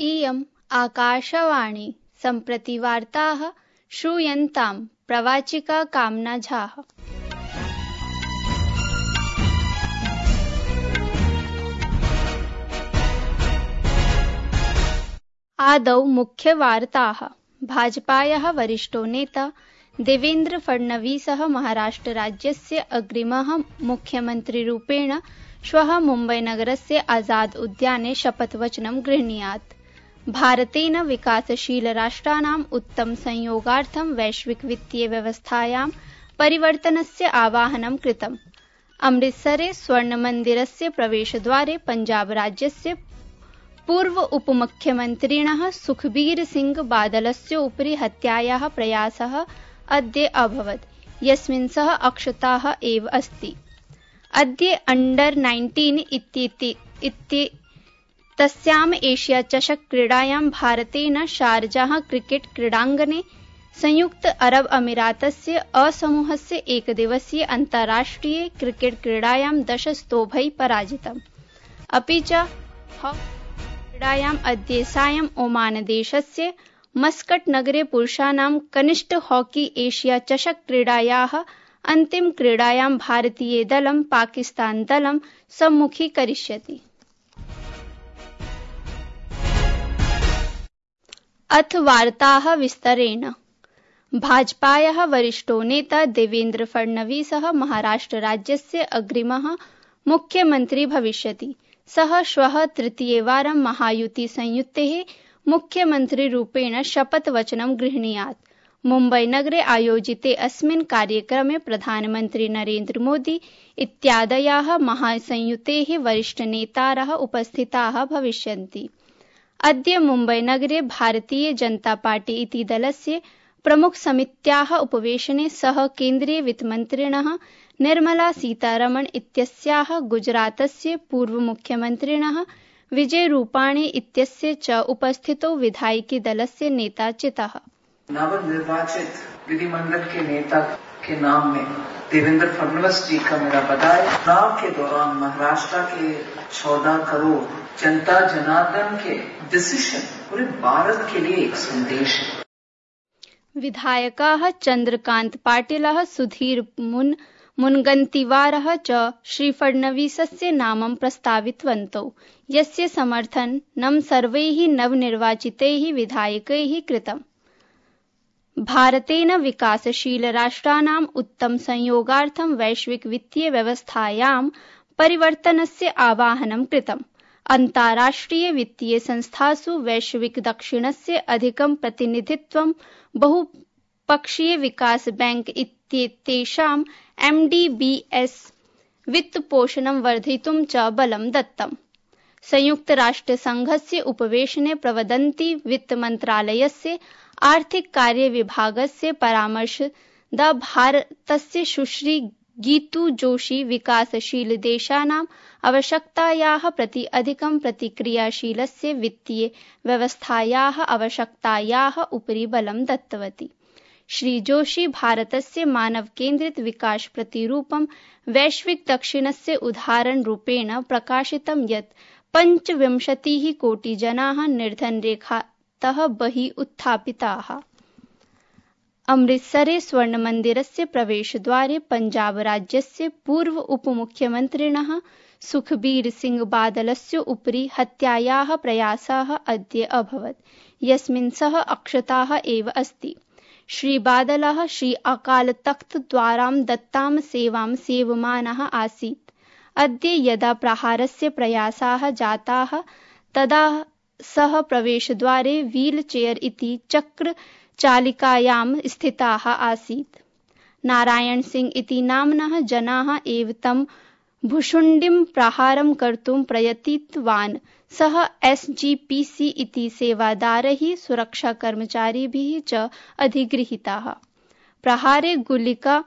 इयम् आकाशवाणी सम्प्रति वार्ताः श्रूयन्ताम् प्रवाचिका कामना झाः। आदौ मुख्यवार्ताः। भाजपायाः वरिष्ठो नेता देवेन्द्र फडणवीसः महाराष्ट्रराज्यस्य अग्रिमः मुख्यमन्त्रिरूपेण श्वः मुम्बईनगरस्य आज़ाद उद्याने शपथवचनं गृह्णीयात्। भारतेन विकासशीलराष्ट्राणाम् उत्तमसंयोगार्थं वैश्विकवित्तीयव्यवस्थायां परिवर्तनस्य आवाहनं कृतम्। अमृतसरे स्वर्णमन्दिरस्य प्रवेशद्वारे पञ्जाबराज्यस्य पूर्व उपमुख्यमन्त्रिणः सुखबीर सिंह बादलस्य उपरि हत्यायाः प्रयासः अद्य अभवत्, यस्मिन् सः अक्षतः एव अस्ति। अद्य अंडर-19 इत्येतस्याम् एशिया चषक क्रीडायां भारतेन शारजाह क्रिकेट क्रीडाङ्गणे संयुक्त अरब अमीरातस्य असमूहस्य एकदिवसीय अन्ताराष्ट्रिय क्रिकेट क्रीडायां 10 स्तोभैः पराजितम्। अपि च क्रीडायाम् अद्य सायं ओमानदेशस्य मस्कट नगरे पुरुषाणां कनिष्ठ हॉकी एशिया चषक क्रीडायाः अन्तिमक्रीडायां भारतीयदलं पाकिस्तानदलं सम्मुखीकरिष्यति। अथ वार्ताः विस्तरेण। भाजपायाः वरिष्ठो नेता देवेन्द्र फडणवीसः महाराष्ट्रराज्यस्य अग्रिमः मुख्यमन्त्री भविष्यति। सः श्वः तृतीयवारं महायुतिसंयुतेः मुख्यमन्त्रिरूपेण शपथवचनं गृह्णीयात्। मुम्बईनगरे आयोजिते अस्मिन् कार्यक्रमे प्रधानमन्त्री नरेन्द्र मोदी इत्यादयाः महासंयुतेः वरिष्ठनेतारः उपस्थिताः भविष्यन्ति। अद्य मुम्बईनगरे भारतीय जनता पार्टी इति दलस्य प्रमुखसमित्याः उपवेशने सः केन्द्रीयवित्तमन्त्रिणः निर्मला सीतारमण इत्यस्याः गुजरातस्य पूर्वमुख्यमन्त्रिणः विजय रूपाणी इत्यस्य च उपस्थितौ विधायिकी दलस्य नेता चितः। नवनिर्वाचित विधिमंडल के नेता के नाम में देवेंद्र फडणवीस जी का मेरा बधाई। चुनाव के दौरान महाराष्ट्र के 14 करोड़ जनता जनार्दन के डिसीजन पूरे भारत के लिए एक संदेश है। विधायकाः चन्द्रकान्त पाटिलः, सुधीर मुनगन्तिवारः च श्रीफडणवीसस्य नामं प्रस्तावितवन्तौ, यस्य समर्थनं सर्वैः नवनिर्वाचितैः विधायकैः कृतम्। भारतेन विकासशीलराष्ट्राणाम् उत्तमसंयोगार्थं वैश्विकवित्तीयव्यवस्थायां परिवर्तनस्य आवाहनं कृतम्। अन्ताराष्ट्रियवित्तीयसंस्थासु वैश्विकदक्षिणस्य अधिकं प्रतिनिधित्वं, बहुपक्षीयविकास बैंक इत्येतेषां MDBs वित्तपोषणं वर्धयितुं च बलं दत्तम्। संयुक्तराष्ट्रसङ्घस्य उपवेशने प्रवदन्ति वित्तमन्त्रालयस्य आर्थिककार्यविभागस्य परामर्शदा भारतस्य सुश्री गीतू जोशी विकासशीलदेशानाम् आवश्यकतायाः प्रति अधिकं प्रतिक्रियाशीलस्य वित्तीयव्यवस्थायाः आवश्यकतायाः उपरि बलं दत्तवती। श्री जोशी भारतस्य मानवकेन्द्रित विकासप्रतिरूपं वैश्विकदक्षिणस्य उदाहरणरूपेण प्रकाशितं यत् 25 कोटिजनाः निर्धनरेखातः बहिः उत्थापिताः। अमृतसरे स्वर्णमन्दिरस्य प्रवेशद्वारे पञ्जाबराज्यस्य पूर्व उपमुख्यमन्त्रिणः सुखबीर सिंह बादलस्य उपरि हत्यायाः प्रयासः अद्य अभवत्, यस्मिन् सः अक्षतः एव अस्ति। श्री बादलः श्री अकाल तख्त द्वारां दत्तां सेवां सेवमानः आसीत्। अद्य यदा प्रहारस्य प्रयासाः जाताः तदा सः प्रवेशद्वारे व्हील चेयर इति चक्रचालिकायां स्थितः आसीत्। नारायण सिंह इति नाम्नः जनाः एव तं भुशुण्डिं प्रहारं कर्तुं प्रयतितवान्। सः SGPC इति सेवादारैः सुरक्षाकर्मचारिभिः च अधिगृहीतः। प्रहारे गुलिका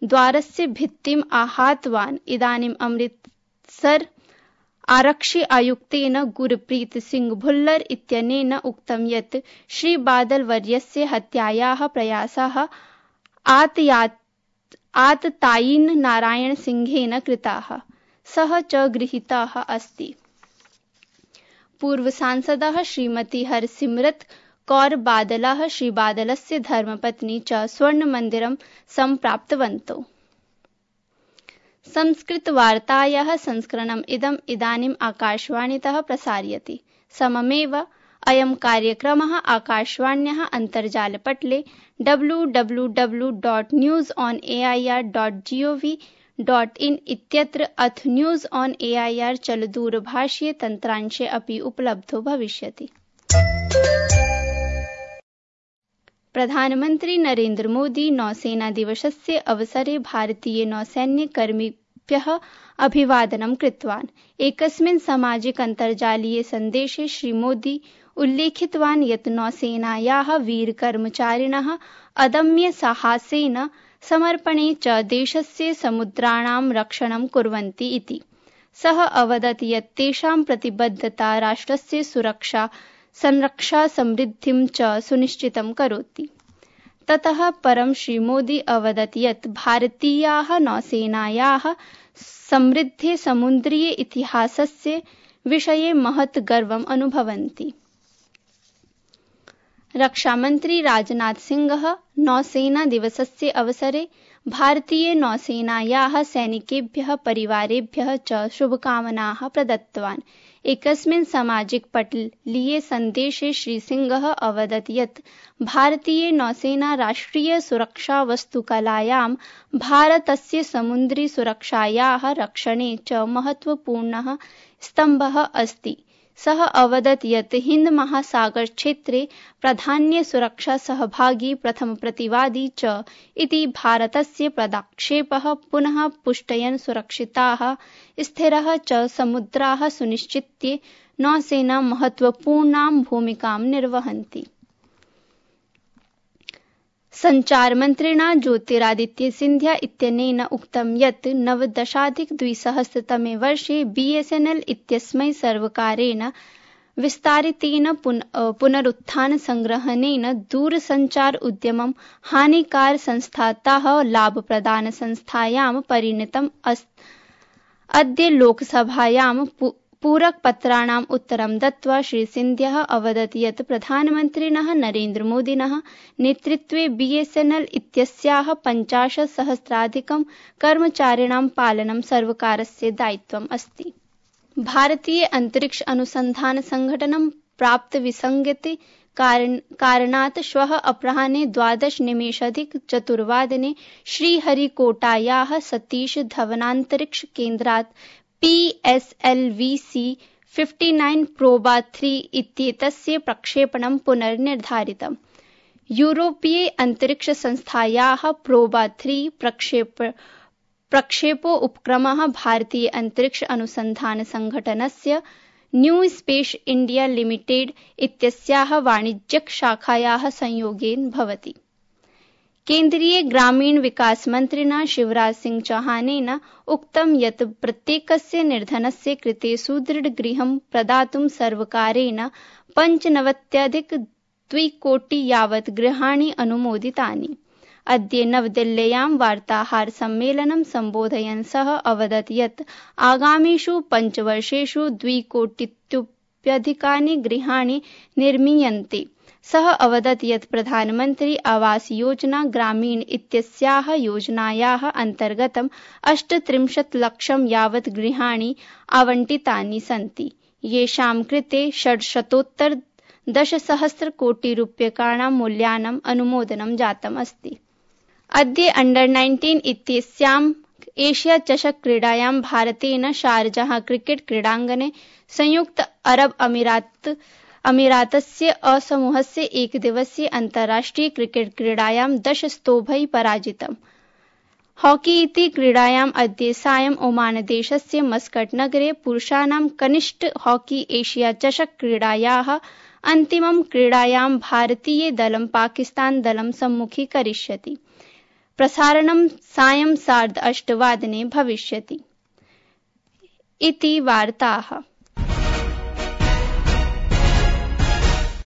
द्वारस्य भित्तिम् आहतवान्। इदानीम् अमृतसर आरक्षि आयुक्तेन गुरप्रीत सिंह भुल्लर इत्यनेन उक्तं यत् श्री बादल वर्यस्य हत्यायाः प्रयासः आततायिन नारायण सिंहेन कृताः। सः च गृहीतः अस्ति। पूर्वसांसदः श्रीमती हरसिमरत कौर बादलः श्रीबादलस्य धर्मपत्नी च स्वर्णमन्दिरं सम्प्राप्तवन्तौ। संस्कृतवार्तायाः संस्करणम् इदानीम् आकाशवाणीतः प्रसार्यते। सममेव अयं कार्यक्रमः आकाशवाण्याः अन्तर्जालपटले www.newsonair.gov.in इत्यत्र अथ न्यूज़ ऑन एआईआर चलदूरभाषीय तन्त्रांशे अपि उपलब्धो भविष्यति। प्रधानमन्त्री नरेन्द्र मोदी नौसेना दिवसस्य अवसरे भारतीय नौसैन्यकर्मिभ्यः अभिवादनं कृतवान्। एकस्मिन् सामाजिक अन्तर्जालीय सन्देशे श्रीमोदी उल्लेखितवान् यत् नौसेनायाः वीरकर्मचारिणः अदम्य साहसेन समर्पणे च देशस्य समुद्राणां रक्षणं कुर्वन्ति इति। सः अवदत् यत् तेषां प्रतिबद्धता राष्ट्रस्य सुरक्षा संरक्षा समृद्धिं च सुनिश्चितं करोति। ततः परं श्रीमोदी अवदत् यत् भारतीयाः नौसेनायाः समृद्धे समुद्रीय इतिहासस्य विषये महत् गर्वम् अनुभवन्ति। रक्षामन्त्री राजनाथ सिंहः नौसेना दिवसस्य अवसरे भारतीय नौसेनायाः सैनिकेभ्यः परिवारेभ्यः च शुभकामनाः प्रदत्तवान्। एकस्मिन् सामाजिक पटलीय सन्देशे श्रीसिंहः अवदत् यत् भारतीय नौसेना राष्ट्रिय सुरक्षा वस्तुकलायां भारतस्य समुद्री सुरक्षायाः रक्षणे च महत्वपूर्णः स्तम्भः अस्ति। सः अवदत् यत् हिन्द महासागर क्षेत्रे प्राधान्य सुरक्षा सहभागी प्रथम प्रतिवादी च इति भारतस्य पदक्षेपः पुनः पुष्टयन् सुरक्षिताः स्थिरः च समुद्राः सुनिश्चित्य नौसेना महत्वपूर्णां भूमिकां निर्वहन्ति। सञ्चारमन्त्रिणा ज्योतिरादित्य सिन्धिया इत्यनेन उक्तं यत् 19-2000तमे वर्षे BSNL इत्यस्मै सर्वकारेण विस्तारितेन पुनरुत्थानसंग्रहणेन दूरसञ्चार उद्यमं हानिकारसंस्थातः लाभप्रदानसंस्थायां परिणतम् अस्ति। अद्य लोकसभायां पूरकपत्राणाम् उत्तरं दत्त्वा श्रीसिन्धिया अवदत् यत् प्रधानमन्त्रिणः नरेन्द्रमोदिनः नेतृत्वे BSNL इत्यस्याः 50,000 कर्मचारिणां पालनं सर्वकारस्य दायित्वम् अस्ति। भारतीय अंतरिक्ष अनुसंधान संघटनं प्राप्तविसङ्गते कारणात् श्वः अपराह्ने 12:04 श्रीहरिकोटायाः सतीश धवनान्तरिक्ष केन्द्रात् PSLV-59 प्रोबा 3 इत्येतस्य प्रक्षेपणं पुनर्निर्धारितम्। यूरोपीय अंतरिक्ष संस्थायाः प्रोबा 3 प्रक्षेपो उपक्रमः भारतीय अंतरिक्ष अनुसंधान संघटनस्य न्यू स्पेस इंडिया लिमिटेड इत्यस्याः वाणिज्यिक शाखायाः संयोगेन भवति। केन्द्रीय ग्रामीण विकास मन्त्रिणा शिवराज सिंह चौहानेन उक्तं यत् प्रत्येकस्य निर्धनस्य कृते सुदृढगृहं प्रदातुं सर्वकारेण 95.2 कोटि यावत् गृहाणि अनुमोदितानि। अद्य नवदिल्ल्यां वार्ताहरसम्मेलनं सम्बोधयन् सः अवदत् यत् आगामिषु 5 वर्षेषु 2 कोटितोप्यधिकानि गृहाणि निर्मीयन्ते। सः अवदत् यत् प्रधानमन्त्री आवास योजना ग्रामीण इत्यस्याः योजनायाः अन्तर्गतं 38 लक्षं यावत् गृहाणि आवण्टितानि सन्ति, येषां कृते 610 कोटि रूप्यकाणां मूल्यानाम् अनुमोदनं जातम् अस्ति। अद्य अंडर-19 इत्यस्यां एशिया चषक क्रीडायां भारतेन शारजाह क्रिकेट क्रीडाङ्गणे संयुक्त अरब अमीरातस्य असमूहस्य एकदिवसीय अन्ताराष्ट्रिय क्रिकेट क्रीडायां 10 स्तोभैः पराजितम्। हॉकी इति क्रीडायाम् अद्य सायं ओमानदेशस्य मस्कट नगरे पुरुषाणां कनिष्ठ हॉकी एशिया चषक क्रीडायाः अन्तिमं क्रीडायां भारतीय दलं पाकिस्तान दलं सम्मुखीकरिष्यति। प्रसारणं सायं 8:30 भविष्यति। इति वार्ताः।